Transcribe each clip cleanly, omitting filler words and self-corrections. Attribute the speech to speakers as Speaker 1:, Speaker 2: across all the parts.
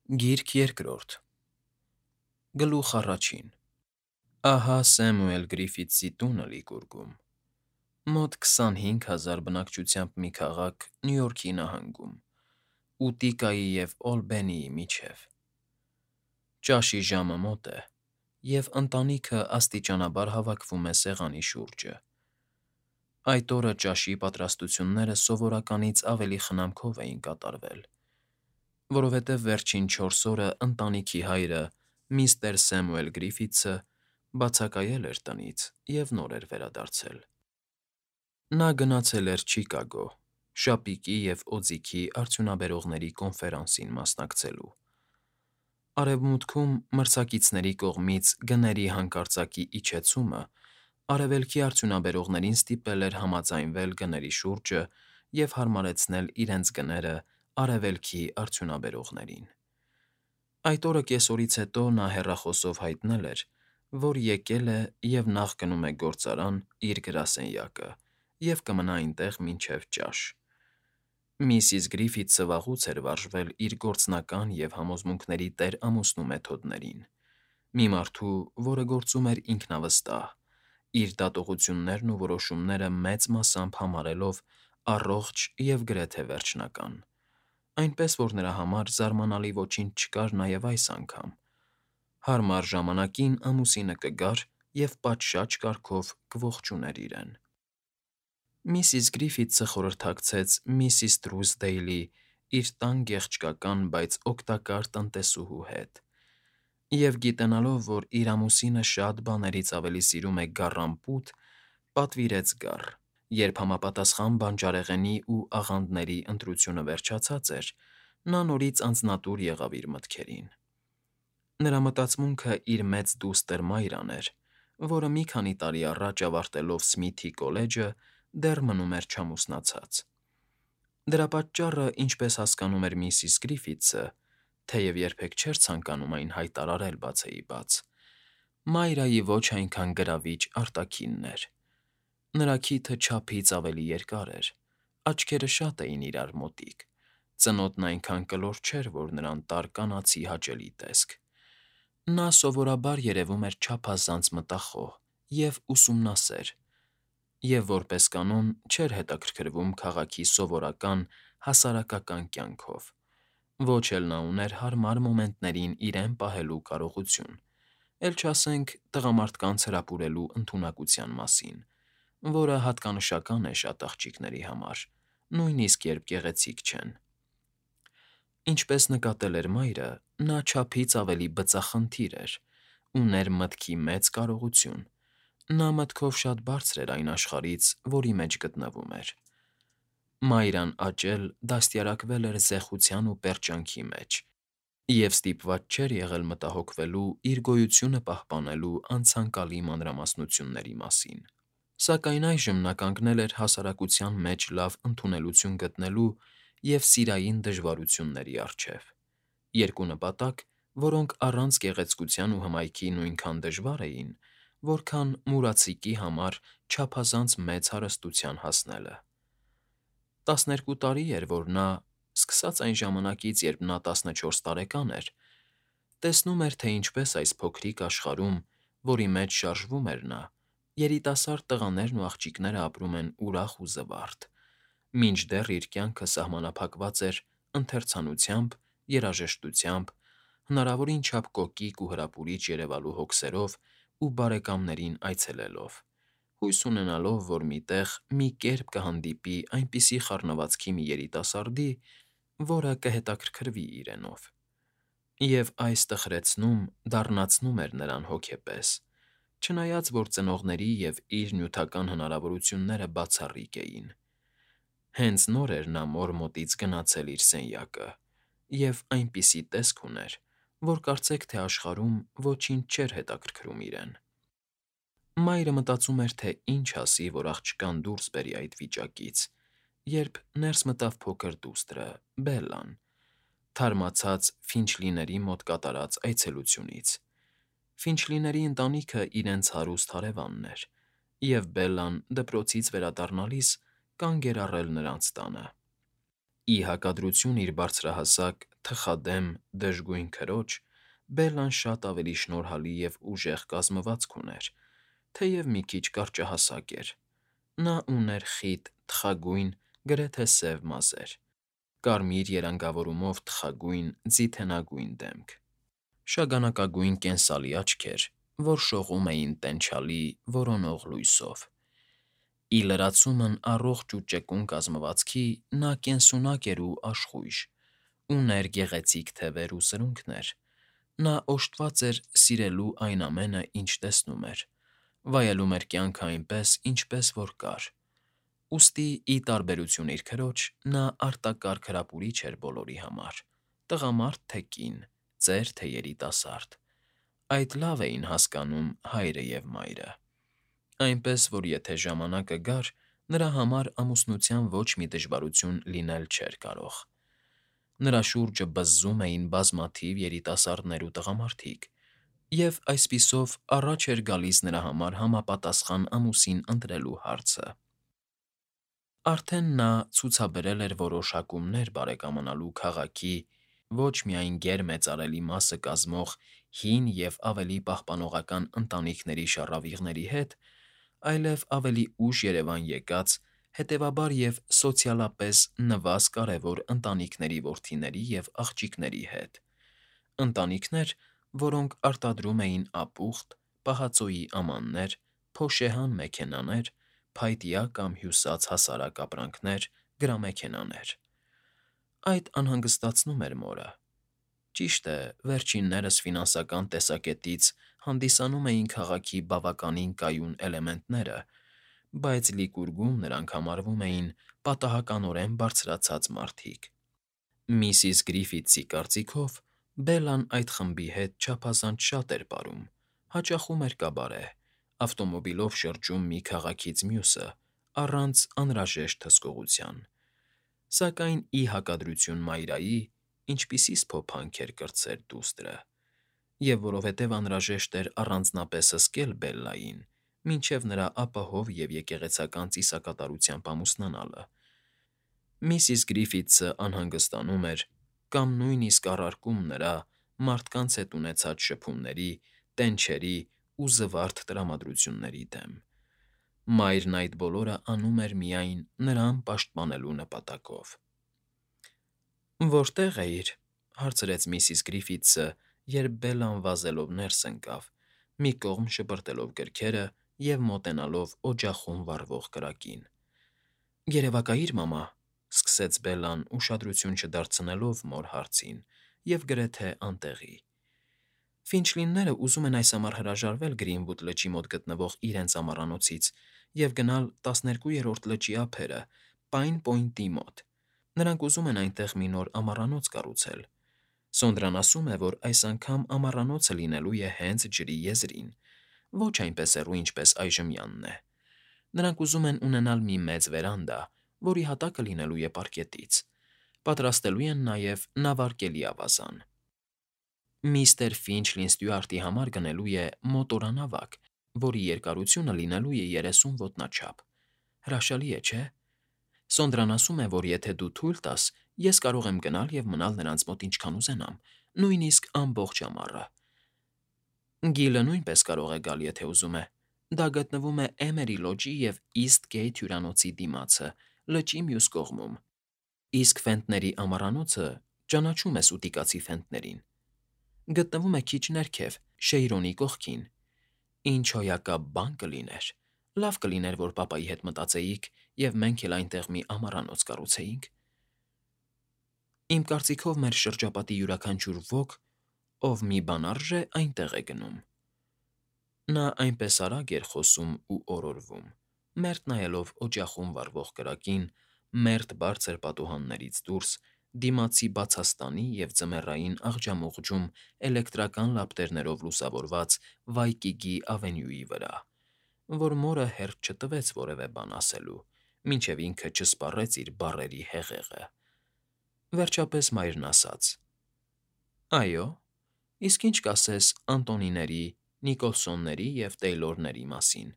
Speaker 1: Գիրք երկրորդ Գլուխ առաջին Ահա Սեմուել Գրիֆիթսի տունը Լիգուրգում, մոտ 25,000 բնակչությամբ մի քաղաք Նյու Յորքի նահանգում, Ուտիկայի և Օլբենիի միջև։ Ճաշի ժամը մոտ է, և ընտանիքը աստիճանաբար հավաքվում է սեղանի շուրջը։ Այդ օրը ճաշի պատրաստությունները սովորականից ավելի խնամքով էին կատարվել, որովհետև վերջին 4 օրը ընտանիքի հայրը՝ միստր Սեմուել Գրիֆիթսը, բացակայել էր տնից և նոր էր վերադարձել։ Նա գնացել էր Չիկագո՝ շապիկի և օձիքի արդյունաբերողների կոնֆերանսին մասնակցելու։ Արևմուտքում մրցակիցների կողմից գների հանկարծակի իջեցումը արևելքի արդյունաբերողներին ստիպել էր համաձայնվել գների շուրջը և հարմարեցնել իրենց գները արևելքի արդյունաբերողներին։ Այդ օրը կեսօրից հետո նա հեռախոսով հայտնել էր, որ եկել է և նախ գնում է գործարան իր գրասենյակը և կմնա այնտեղ մինչև ճաշ։ Միսիս Գրիֆիթսը վաղուց էր վարժվել իր գործնական և համոզմունքների տեր-ամուսնու մեթոդներին, մի մարդու, որը գործում էր ինքնավստահ, իր դատողություններն ու որոշումները մեծ մասամբ համարելով առողջ և գրեթե վերջնական, այնպես որ նրա համար զարմանալի ոչինչ չկար նաև այս անգամ. հարմար ժամանակին ամուսինը կգար և պատշաճ կարգով կողջուներ իրեն։ Միսիս Գրիֆիթսը խորհրդակցեց միսիս Թրուսդեյլի՝ իր տան գեղեցկական, բայց օգտակար տնտեսուհու հետ, և գիտենալով, որ իր ամուսինը շատ բաներից ավելի սիրում է գառան֊պուտ, պատվիրեց գառ։ Երբ համապատասխան բանջարեղենի ու աղանդերի ընտրությունը վերջացած էր, նա նորից անձնատուր եղավ իր մտքերին։ Նրա մտածմունքը իր մեծ դուստր Մայրան էր, որը մի քանի տարի առաջ ավարտելով Սմիթի կոլեջը դեռ մնում էր չամուսնացած։ Դրա պատճառը, ինչպես հասկանում էր միսիս Գրիֆիթսը, թեև երբեք չէր ցանկանում այն հայտարարել բացեիբաց, Մայրայի ոչ այնքան գրավիչ արտաքինն էր։ Նրա քիթը չափից ավելի երկար էր, աչքերը շատ էին իրար մոտիկ, ծնոտն այնքան կլոր չէր, որ նրան տար կանացի հաճելի տեսք։ Նա սովորաբար երևում էր չափազանց մտախոհ և ուսումնասեր և, որպես կանոն, չէր հետաքրքրվում քաղաքի սովորական հասարակական կյանքով, ոչ էլ նա ուներ հարմար մոմենտներին իրեն պահելու կարողություն, էլ չասենք տղամարդկանց հրապուրելու ընդունակության մասին, որը հատկանշական է շատ աղջիկների համար, նույնիսկ երբ գեղեցիկ չեն։ Ինչպես նկատել էր Մայրը, նա չափից ավելի բծախնդիր էր, ուներ մտքի մեծ կարողություն, նա մտքով շատ բարձր էր այն աշխարհից, որի մեջ գտնվում էր։ Մայրան աճել, դաստիարակվել էր զեղության ու պերճանքի մեջ և ստիպված չէր եղել մտահոգվելու իր գոյությունը պահպանելու անցանկալի մանրամասնությունների մասին։ Սակայն այժմ նա կանգնել էր հասարակության մեջ լավ ընդունելություն գտնելու և սիրային դժվարությունների առջև։ Երկու նպատակ, որոնք առանց գեղեցկության ու հմայքի նույնքան դժվար էին, որքան մուրացիկի համար չափազանց մեծ հարստության հասնելը։ 12 տարի էր, որ նա, սկսած այն ժամանակից, երբ նա 14 տարեկան էր, տեսնում էր, թե ինչպես այս փոքրիկ աշխարհում, որի մեջ շարժվում էր նա, երիտասարդ տղաներն ու աղջիկները ապրում են ուրախ ու զվարթ, մինչդեռ իր կյանքը սահմանափակված էր ընթերցանությամբ, երաժշտությամբ, հնարավորին չափ կոկիկ ու հրապուրիչ երևալու հոգսերով ու բարեկամներին այցելելով, հույս ունենալով, որ մի տեղ մի կերպ կհանդիպի այնպիսի խառնվածքի մի երիտասարդի, որը կհետաքրքրվի իրենով։ Եվ այս տխրեցնում, դառնացնում էր նրան հոգեպես, չնայած որ ծնողների և իր նյութական հնարավորությունները բացառիկ էին։ Հենց նոր էր նա մոր մոտից գնացել իր սենյակը և այնպիսի տեսք ուներ, որ կարծեք թե աշխարհում ոչինչ չէր հետաքրքրում իրեն։ Մայրը մտածում էր, թե ինչ ասի, որ աղջկան դուրս բերի այդ վիճակից, երբ ներս մտավ փոքր դուստրը՝ Բելլան, թարմացած Ֆինչլիների մոտ կատարած այցելությունից։ Ֆինչլիների ընտանիքը իրենց հարուստ հարևանն էր, և Բելլան դպրոցից վերադառնալիս կանգ էր առել նրանց տանը։ Ի հակադրություն իր բարձրահասակ, թխադեմ, դժգույն քրոջ, Բելլան շատ ավելի շնորհալի և ուժեղ կազմվածք ուներ, թեև մի քիչ կարճահասակ էր. նա ուներ խիտ, թխագույն, գրեթե սև մազեր, կարմիր երանգավորումով թխագույն, ձիթենագույն դեմք, շագանակագույն կենսալի աչքեր, որ շողում էին տենչալի, որոնող լույսով։ Ի լրացումն առողջ ու ճկուն կազմվածքի նա կենսունակ էր ու աշխույժ, ուներ գեղեցիկ թևեր ու սրունքներ, նա օժտված էր սիրելու այն ամենը, ինչ տեսնում էր, վայելում էր կյանքը այնպես, ինչպես որ կար, ուստի, ի տարբերություն իր քրոջ, նա արտակարգ հրապուրիչ էր բոլորի համար, տղամարդ թե կին, ծեր թե երիտասարդ, այդ լավ էին հասկանում հայրը և մայրը, այնպես որ եթե ժամանակը գար, նրա համար ամուսնության ոչ մի դժվարություն լինել չէր կարող։ Նրա շուրջը բզզում էին բազմաթիվ երիտասարդներ ու տղամարդիկ, և այսպիսով առաջ էր գալիս նրա համար համապատասխան ամուսին ընտրելու հարցը։ Արդեն նա ցուցաբերել էր որոշ հակումներ բարեկամանալու քաղաքի ոչ միայն գերմեծարելի մասը կազմող հին և ավելի պահպանողական ընտանիքների շառավիղների հետ, այլև ավելի ուշ երևան եկած, հետևաբար և սոցիալապես նվազ կարևոր ընտանիքների որդիների և աղջիկների հետ, ընտանիքներ, որոնք արտադրում էին ապուխտ, պահածոյի ամաններ, փոշեհան մեքենաներ, փայտյա կամ հյուսած հասարակ ապրանքներ, գրամեքենաներ։ Այդ անհանգստացնում էր մորը։ Ճիշտ է, վերջիններս ֆինանսական տեսակետից հանդիսանում էին քաղաքի բավականին կայուն էլեմենտները, բայց լիկուργում նրանք համարվում էին պատահականորեն բարձրացած մարդիկ։ Միսիս Գրիֆիթսի կարծիքով Բելլան այդ խմբի հետ չափազանց շատ էր պարում, հաճախում էր կաբարե, ավտոմոբիլով շրջում մի քաղաքից մյուսը, առանց անհրաժեշտ հսկողության, սակայն ի հակադրություն Մայրայի, ինչպիսի սփոփանք էր կրտսեր դուստրը, և որովհետև անհրաժեշտ էր առանձնապես հսկել Բելլային, մինչև նրա ապահով և եկեղեցական ծիսակատարությամբ ամուսնանալը, միսիս Գրիֆիթսը անհանգստանում էր կամ նույնիսկ առարկում նրա՝ մարդկանց հետ ունեցած շփումների, տենչերի ու զվարթ տրամադրությունների դեմ։ Մայրն այդ բոլորը անում էր միայն նրան պաշտպանելու նպատակով։ «Որտե՞ղ էիր,֊ հարցրեց միսիս Գրիֆիթսը, երբ Բելլան վազելով ներս ընկավ, մի կողմ շպրտելով գրքերը և մոտենալով օջախում վառվող կրակին։ ֊ Երևակայիր, մամա,֊ սկսեց Բելլան, ուշադրություն չդարձնելով մոր հարցին և գրեթե անտեղի։ Ֆինչլինները ուզում են այս ամառ հրաժարվել Գրինվուդ լճի մոտ գտնվող իրենց ամառանոցից և գնալ 12-րդ լճի ափերը, Պայն Պոյնտի մոտ։ Նրանք ուզում են այնտեղ մի նոր ամառանոց կառուցել։ Սոնդրան ասում է, որ այս անգամ ամառանոցը լինելու է հենց ջրի եզրին, ոչ այնպես հեռու, ինչպես այժմյանն է։ Նրանք ուզում են ունենալ մի մեծ վերանդա, որի հատակը լինելու է պարկետից։ Պատրաստելու են նաև նավարկելի ավազան։ Միստր Ֆինչլին Ստյուարտի համար գնելու է մոտորանավակ, որի երկարությունը լինելու է 30 ոտնաչափ։ Հրաշալի է, չէ՞։ Սոնդրան ասում է, որ եթե դու թույլ տաս, ես կարող եմ գնալ և մնալ նրանց մոտ ինչքան ուզենամ, նույնիսկ ամբողջ ամառը։ Գիլը նույնպես կարող է գալ, եթե ուզում է։ Դա գտնվում է Էմերի լոջի և Իսթգեյթ հյուրանոցի դիմացը, լճի մյուս կողմում, իսկ Ֆենտների ամառանոցը (ճանաչում ես ուտիկացի Ֆենտներին) գտնվում է քիչ ներքև, Շեյրոնի կողքին։ Ինչ հոյակապ բան կլիներ։ Լավ կլիներ, որ պապայի հետ մտածեիք, և մենք էլ այնտեղ մի ամառանոց կառուցեինք։ Իմ կարծիքով մեր շրջապատի յուրաքանչյուր ոք, ով մի բան արժե, այնտեղ է գնում։ Նա այնպես արագ էր խոսում ու օրորվում, մերթ նայելով օջախում վառվող կրակին, մերթ բարձր պատուհաններից դուրս, դիմացի բացաստանի և ձմեռային աղջամուղջում էլեկտրական լապտերներով լուսավորված Վայկիգի ավենյուի վրա, որ մորը հերթ չտվեց որևէ բան ասելու, մինչև ինքը չսպառեց իր բառերի հեղեղը։ Վերջապես մայրն ասաց. «Այո, իսկ ինչ կասես Անտոնիների, Նիկոլսոնների և Թեյլորների մասին։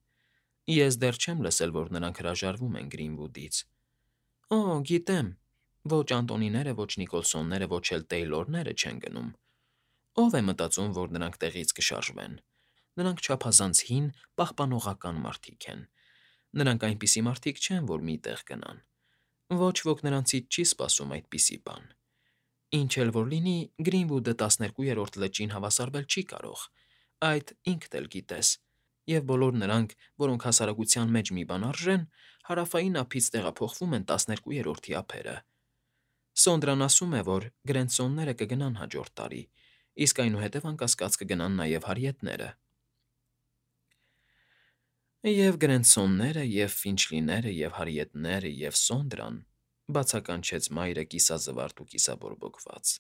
Speaker 1: Ես դեռ չեմ լսել, որ նրանք հրաժարվում են Գրինվուդից»։ Օ, գիտեմ, Ոչ Անտոնիները, ոչ Նիկոլսոնները, ոչ էլ Տեյլորները չեն գնում։ Ո՞վ է մտածում, որ նրանք տեղից կշարժվեն։ Նրանք չափազանց հին, պահպանողական մարդիկ են։ Նրանք այնպիսի մարդիկ չեն, որ մի տեղ գնան։ Ոչ ոք նրանցից չի սպասում այդպիսի բան։ Ինչ էլ որ լինի, Գրինվուդը 12-րդ լճին հավասարվել չի կարող, այդ ինքդ էլ գիտես, և բոլոր նրանք, որոնք հասարակության մեջ մի բան արժեն, հարավային ափից տեղափոխվում են 12-րդի ափերը։ Սոնդրան ասում է, որ Գրենցոնները կգնան հաջորդ տարի, իսկ այնուհետև անկասկած կգնան նաև հարիետները։ Եվ Գրենցոնները, և Ֆինչլիները, և հարիետները, և Սոնդրան, բացականչեց մայրը կիսազվարթ ու կիսաբորբոքված։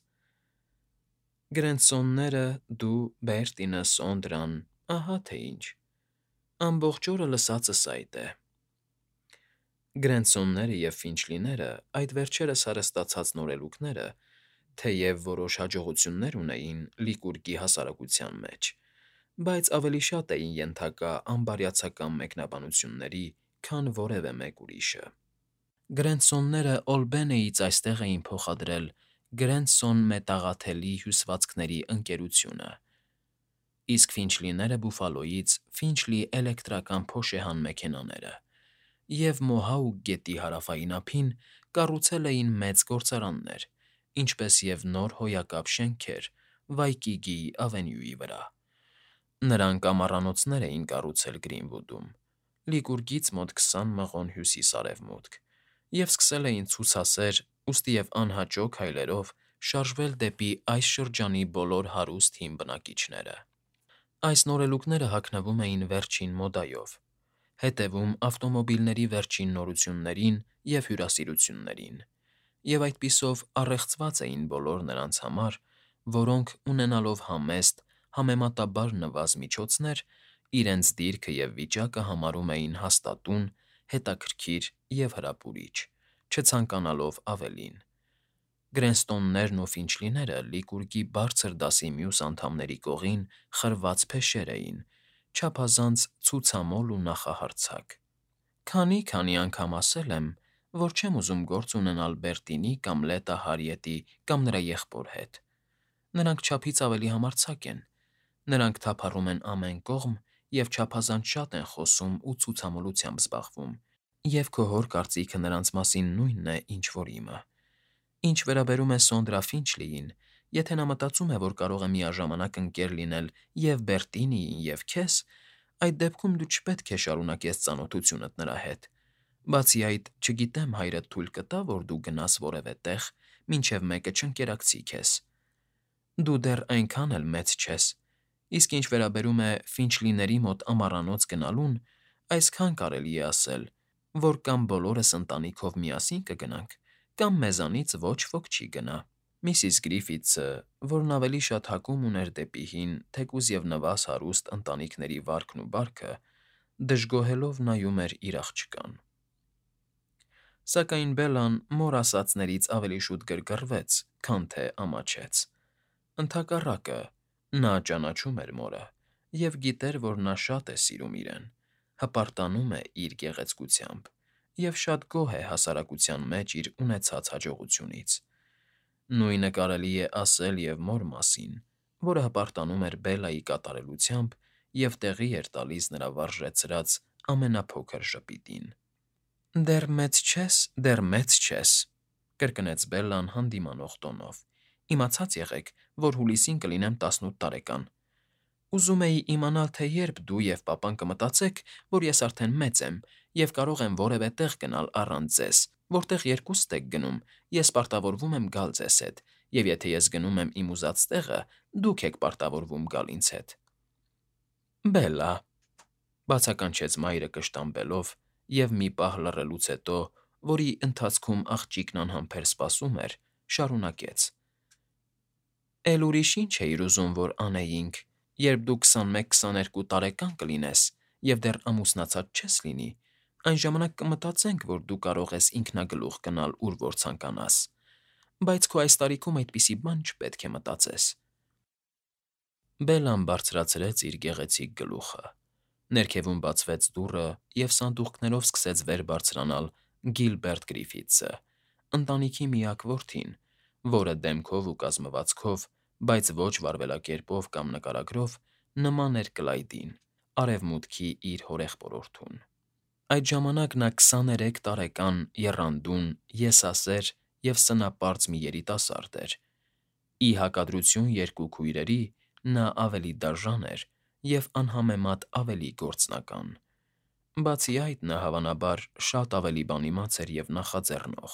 Speaker 1: Գրենցոնները, դու, Բերտինը, Սոնդրան, ահա թե ինչ։ Ամբողջ օրը լսածս այդ է։ Գրենցոնները և Ֆինչլիները, այդ վերջերս հարստացած նորելուկները, թեև որոշ հաջողություններ ունեին Լիկուրգի հասարակության մեջ, բայց ավելի շատ էին ենթակա անբարյացակամ մեկնաբանությունների, քան որևէ մեկ ուրիշը։ Գրենցոնները Օլբենեից այստեղ էին փոխադրել Գրենցոն մետաղաթելի հյուսվածքների ընկերությունը, իսկ Ֆինչլիները Բուֆալոյից Ֆինչլի էլեկտրական փոշեհան մեքենաները, և Մոհաուկ գետի հարավային ափին կառուցել էին մեծ գործարաններ, ինչպես և նոր հոյակապ շենքեր Վայկիգի ավենյուի վրա։ Նրանք ամառանոցներ էին կառուցել Գրինվուդում, Լիկուրգից մոտ 20 մղոն հյուսիս֊արևմուտք, և սկսել էին ցուցասեր, ուստի և անհաճո քայլերով շարժվել դեպի այս շրջանի բոլոր հարուստ հին բնակիչները։ Այս նորելուկները հագնվում էին վերջին մոդայով, հետևում ավտոմոբիլների վերջին նորություններին և հյուրասիրություններին, և այդպիսով առեղծված էին բոլոր նրանց համար, որոնք, ունենալով համեստ, համեմատաբար նվազ միջոցներ, իրենց դիրքը և վիճակը համարում էին հաստատուն, հետաքրքիր և հրապուրիչ, չցանկանալով ավելին։ Գրենստոններն ու Ֆինչլիները Լիկուրգի բարձր դասի մյուս անդամների կողին խրված փեշեր էին, չափազանց ցուցամոլ ու նախահարձակ։ Քանի անգամ ասել եմ, որ չեմ ուզում գործ ունենալ Բերտինի կամ Լետա Հարիետի կամ նրա եղբոր հետ։ Նրանք չափից ավելի համարձակ են, նրանք թափառում են ամեն կողմ և չափազանց շատ են խոսում ու ցուցամոլությամբ զբաղվում, և քո հոր կարծիքը նրանց մասին նույնն է, ինչ որ իմը։ Ինչ վերաբերում է Սոնդրա Ֆինչլիին, եթե նա մտածում է, որ կարող է միաժամանակ ընկեր լինել և Բերտինիին, և քեզ, այդ դեպքում դու չպետք է շարունակես ծանոթությունդ նրա հետ։ Բացի այդ, չգիտեմ հայրդ թույլ կտա, որ դու գնաս որևէ տեղ, մինչև մեկը չընկերակցի քեզ։ Դու դեռ այնքան էլ մեծ չես, իսկ ինչ վերաբերում է Ֆինչլիների մոտ ամառանոց գնալուն, այսքան կարելի է ասել, որ կամ բոլորս ընտանիքով միասին կգնանք, կամ մեզանից ոչ ոք չի գնա։ Միսիս Գրիֆիթսը, որն ավելի շատ հակում ուներ դեպի հին, թեկուզ և նվազ հարուստ ընտանիքների վարքն ու բարքը, դժգոհելով նայում էր իր աղջկան։ Սակայն Բելլան մոր ասածներից ավելի շուտ գրգռվեց, քան թե ամաչեց։ Ընդհակառակը, նա ճանաչում էր մորը և գիտեր, որ նա շատ է սիրում իրեն, հպարտանում է իր գեղեցկությամբ և շատ գոհ է հասարակության մեջ իր ունեցած հաջողությունից։ Նույնը կարելի է ասել և մոր մասին, որը հպարտանում էր Բելլայի կատարելությամբ և տեղի էր տալիս նրա վարժեցրած ամենափոքր ժպիտին։ «Դեռ մեծ չես», կրկնեց Բելլան հանդիմանող տոնով։ «Իմացած եղեք, որ հուլիսին կլինեմ 18 տարեկան։ Ուզում էի իմանալ, թե երբ դու և պապան կմտածեք, որ ես արդեն մեծ եմ և կարող եմ որևէ տեղ գնալ առանց ձեզ, որտեղ երկուստ եք գնում, ես պարտավորվում եմ գալ ձեզ հետ, և եթե ես գնում եմ իմ ուզած տեղը, դուք եք պարտավորվում գալ ինձ հետ»։ «Բելլա», բացականչեց մայրը կշտամբելով և մի պահ լռելուց հետո, որի ընթացքում աղջիկն անհամբեր սպասում էր, շարունակեց. «Էլ ուրիշ ի՞նչ էիր ուզում, որ անեինք, երբ դու 21-22 տարեկան կլինես և դեռ ամուսնացած չես լինի, այն ժամանակ կմտածենք, որ դու կարող ես ինքնագլուխ գնալ, ուր որ ցանկանաս, բայց քո այս տարիքում այդպիսի բան չպետք է մտածես»։ Բելլան բարձրացրեց իր գեղեցիկ գլուխը, ներքևում բացվեց դուռը, և սանդուղքներով սկսեց վեր բարձրանալ Գիլբերտ Գրիֆիթսը, ընտանիքի միակ որդին, որը դեմքով ու կազմվածքով, բայց ոչ վարվելակերպով կամ նկարագրով նման էր Կլայդին, Արևմուտքի իր հորեղբորորդուն։ Այդ ժամանակ նա 23 տարեկան եռանդուն, եսասեր և սնապարծ մի երիտասարդ էր։ Ի հակադրություն երկու քույրերի՝ նա ավելի դաժան էր և անհամեմատ ավելի գործնական։ Բացի այդ, նա, հավանաբար, շատ ավելի բանիմաց էր և նախաձեռնող,